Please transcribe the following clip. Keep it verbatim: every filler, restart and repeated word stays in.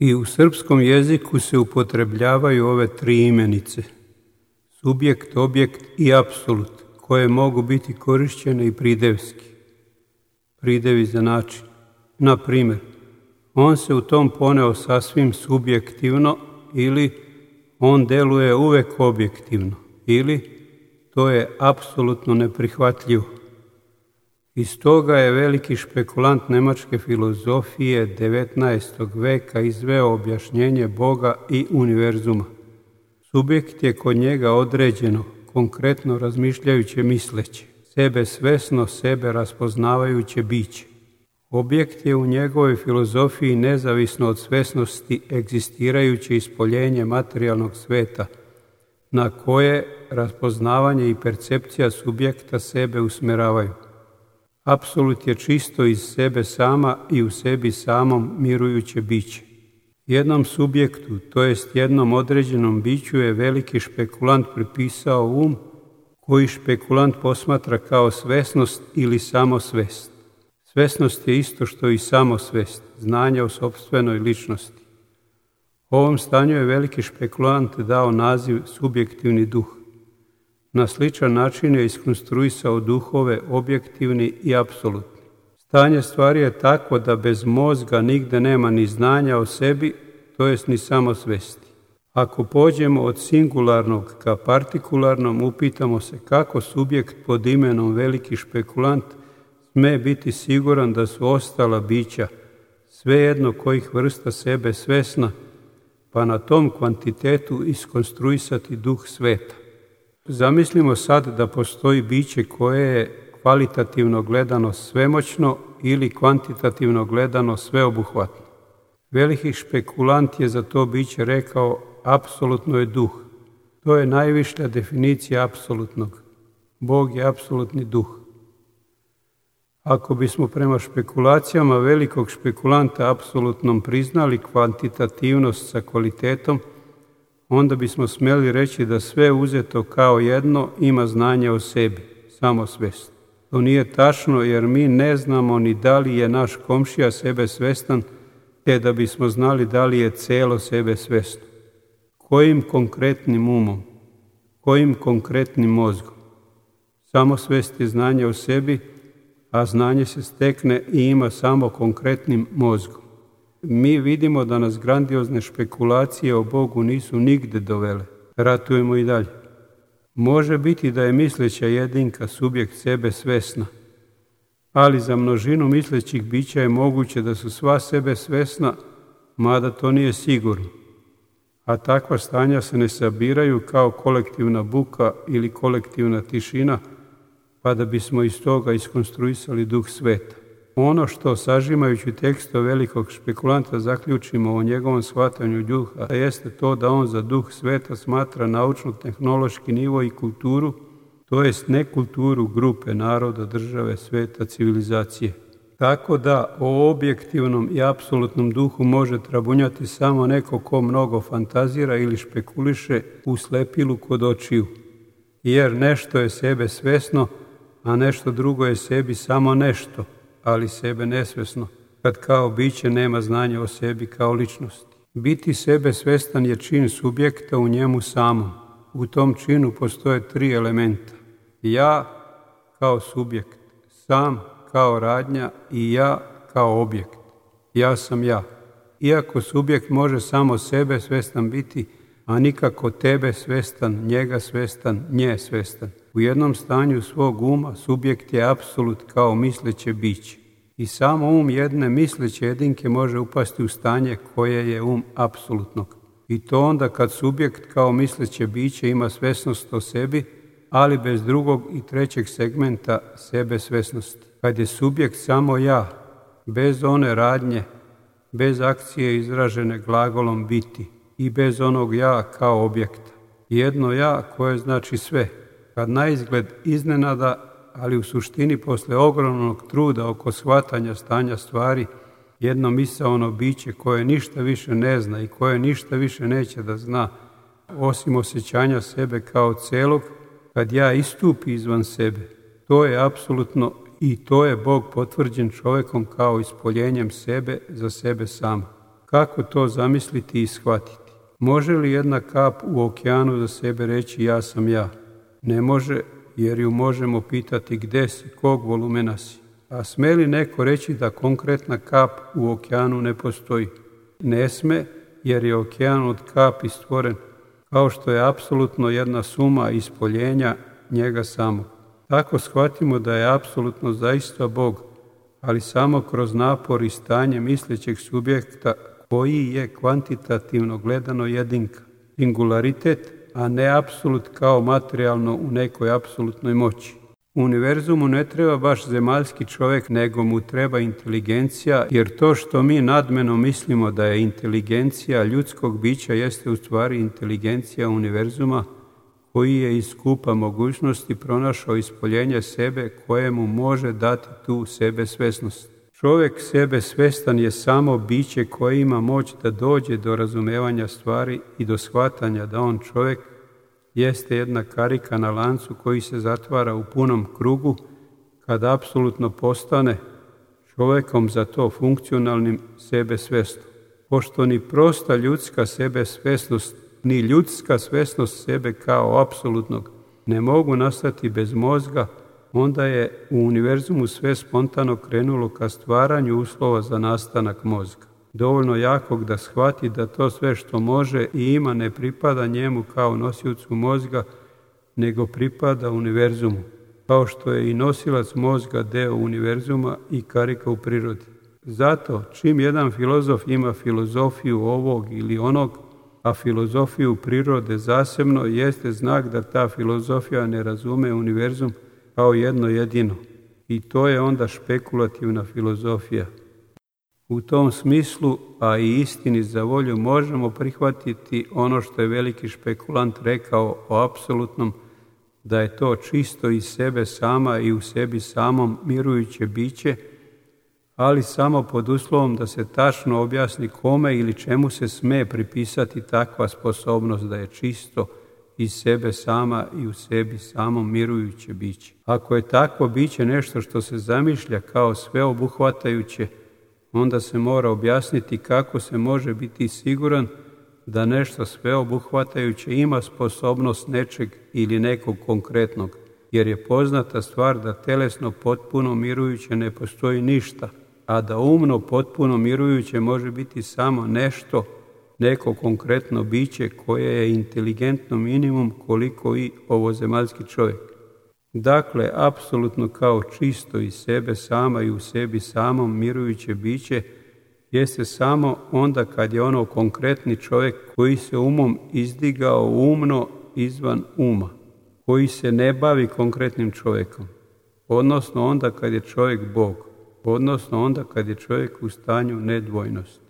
I u srpskom jeziku se upotrebljavaju ove tri imenice, subjekt, objekt i apsolut, koje mogu biti korišćene i pridevski. Pridevi za način. Na primjer, on se u tom poneo sasvim subjektivno ili on deluje uvek objektivno ili to je apsolutno neprihvatljivo. Iz toga je veliki špekulant nemačke filozofije devetnaestog veka izveo objašnjenje Boga i univerzuma. Subjekt je kod njega određeno, konkretno razmišljajuće misleće, sebe svesno, sebe raspoznavajuće biće. Objekt je u njegovoj filozofiji nezavisno od svesnosti egzistirajuće ispoljenje materijalnog sveta, na koje raspoznavanje i percepcija subjekta sebe usmeravaju. Apsolut je čisto iz sebe sama i u sebi samom mirujuće biće. Jednom subjektu, to jest jednom određenom biću, je veliki špekulant pripisao um, koji špekulant posmatra kao svesnost ili samosvest. Svesnost je isto što i samosvest, znanje o sopstvenoj ličnosti. Ovom stanju je veliki špekulant dao naziv subjektivni duh. Na sličan način je iskonstruisao duhove objektivni i apsolutni. Stanje stvari je tako da bez mozga nigde nema ni znanja o sebi, to jest ni samosvesti. Ako pođemo od singularnog ka partikularnom, upitamo se kako subjekt pod imenom veliki špekulant sme biti siguran da su ostala bića, svejedno kojih vrsta sebe svesna, pa na tom kvantitetu iskonstruisati duh sveta. Zamislimo sad da postoji biće koje je kvalitativno gledano svemoćno ili kvantitativno gledano sveobuhvatno. Veliki špekulant je za to biće rekao apsolutno je duh. To je najviša definicija apsolutnog. Bog je apsolutni duh. Ako bismo prema špekulacijama velikog špekulanta apsolutnom priznali kvantitativnost sa kvalitetom, onda bismo smjeli reći da sve uzeto kao jedno ima znanje o sebi, samosvest. To nije tačno jer mi ne znamo ni da li je naš komšija sebe svestan, te da bismo znali da li je celo sebe svesno. Kojim konkretnim umom? Kojim konkretnim mozgom? Samosvest je znanje o sebi, a znanje se stekne i ima samo konkretnim mozgom. Mi vidimo da nas grandiozne špekulacije o Bogu nisu nigde dovele. Ratujemo i dalje. Može biti da je misleća jedinka subjekt sebe svesna, ali za množinu mislećih bića je moguće da su sva sebe svesna, mada to nije sigurno. A takva stanja se ne sabiraju kao kolektivna buka ili kolektivna tišina, pa da bismo iz toga iskonstruisali duh sveta. Ono što, sažimajući tekstove velikog špekulanta, zaključimo o njegovom shvatanju duha, jeste to da on za duh sveta smatra naučno-tehnološki nivo i kulturu, to jest ne kulturu grupe, naroda, države, sveta, civilizacije. Tako da o objektivnom i apsolutnom duhu može trabunjati samo neko ko mnogo fantazira ili špekuliše u slepilu kod očiju, jer nešto je sebe svesno, a nešto drugo je sebi samo nešto, ali sebe nesvesno, kad kao biće nema znanja o sebi kao ličnosti. Biti sebe svestan je čin subjekta u njemu samom. U tom činu postoje tri elementa. Ja kao subjekt, sam kao radnja i ja kao objekt. Ja sam ja. Iako subjekt može samo sebe svestan biti, a nikako tebe svestan, njega svestan, nje svestan. U jednom stanju svog uma subjekt je apsolut kao misleće biće. I samo um jedne misleće jedinke može upasti u stanje koje je um apsolutnog. I to onda kad subjekt kao misleće biće ima svesnost o sebi, ali bez drugog i trećeg segmenta sebe svesnosti. Kad je subjekt samo ja, bez one radnje, bez akcije izražene glagolom biti i bez onog ja kao objekta. Jedno ja koje znači sve. Kad naizgled iznenada, ali u suštini posle ogromnog truda oko shvatanja stanja stvari, jedno misaono biće koje ništa više ne zna i koje ništa više neće da zna, osim osjećanja sebe kao celog, kad ja istupi izvan sebe, to je apsolutno i to je Bog potvrđen čovekom kao ispoljenjem sebe za sebe sama. Kako to zamisliti i shvatiti? Može li jedna kap u okeanu za sebe reći ja sam ja? Ne može, jer ju možemo pitati gde si, kog volumena si. A sme li neko reći da konkretna kap u okeanu ne postoji? Ne sme, jer je okean od kapi stvoren, kao što je apsolutno jedna suma ispoljenja njega samog. Tako shvatimo da je apsolutno zaista Bog, ali samo kroz napor i stanje mislećeg subjekta koji je kvantitativno gledano jedinka, singularitet, a ne apsolut kao materijalno u nekoj apsolutnoj moći. U univerzumu ne treba baš zemaljski čovjek, nego mu treba inteligencija, jer to što mi nadmeno mislimo da je inteligencija ljudskog bića jeste u stvari inteligencija univerzuma, koji je iz skupa mogućnosti pronašao ispoljenje sebe kojemu može dati tu sebe svesnost. Čovjek sebe svestan je samo biće koje ima moć da dođe do razumevanja stvari i do shvatanja da on čovjek jeste jedna karika na lancu koji se zatvara u punom krugu kad apsolutno postane čovjekom za to funkcionalnim sebe svestom. Pošto ni prosta ljudska sebe svesnost, ni ljudska svesnost sebe kao apsolutnog ne mogu nastati bez mozga, onda je u univerzumu sve spontano krenulo ka stvaranju uslova za nastanak mozga. Dovoljno jakog da shvati da to sve što može i ima ne pripada njemu kao nosiocu mozga, nego pripada univerzumu, kao što je i nosilac mozga deo univerzuma i karika u prirodi. Zato, čim jedan filozof ima filozofiju ovog ili onog, a filozofiju prirode zasebno, jeste znak da ta filozofija ne razume univerzum kao jedno jedino. I to je onda špekulativna filozofija. U tom smislu, a i istini za volju, možemo prihvatiti ono što je veliki špekulant rekao o apsolutnom, da je to čisto iz sebe sama i u sebi samom mirujuće biće, ali samo pod uslovom da se tačno objasni kome ili čemu se sme pripisati takva sposobnost da je čisto iz sebe sama i u sebi samom mirujuće biće. Ako je takvo biće nešto što se zamišlja kao sveobuhvatajuće, onda se mora objasniti kako se može biti siguran da nešto sveobuhvatajuće ima sposobnost nečeg ili nekog konkretnog, jer je poznata stvar da telesno potpuno mirujuće ne postoji ništa, a da umno potpuno mirujuće može biti samo nešto, neko konkretno biće koje je inteligentno minimum koliko i ovozemaljski čovjek. Dakle, apsolutno kao čisto iz sebe sama i u sebi samom mirujuće biće jeste samo onda kad je ono konkretni čovjek koji se umom izdigao umno izvan uma, koji se ne bavi konkretnim čovjekom, odnosno onda kad je čovjek Bog, odnosno onda kad je čovjek u stanju nedvojnosti.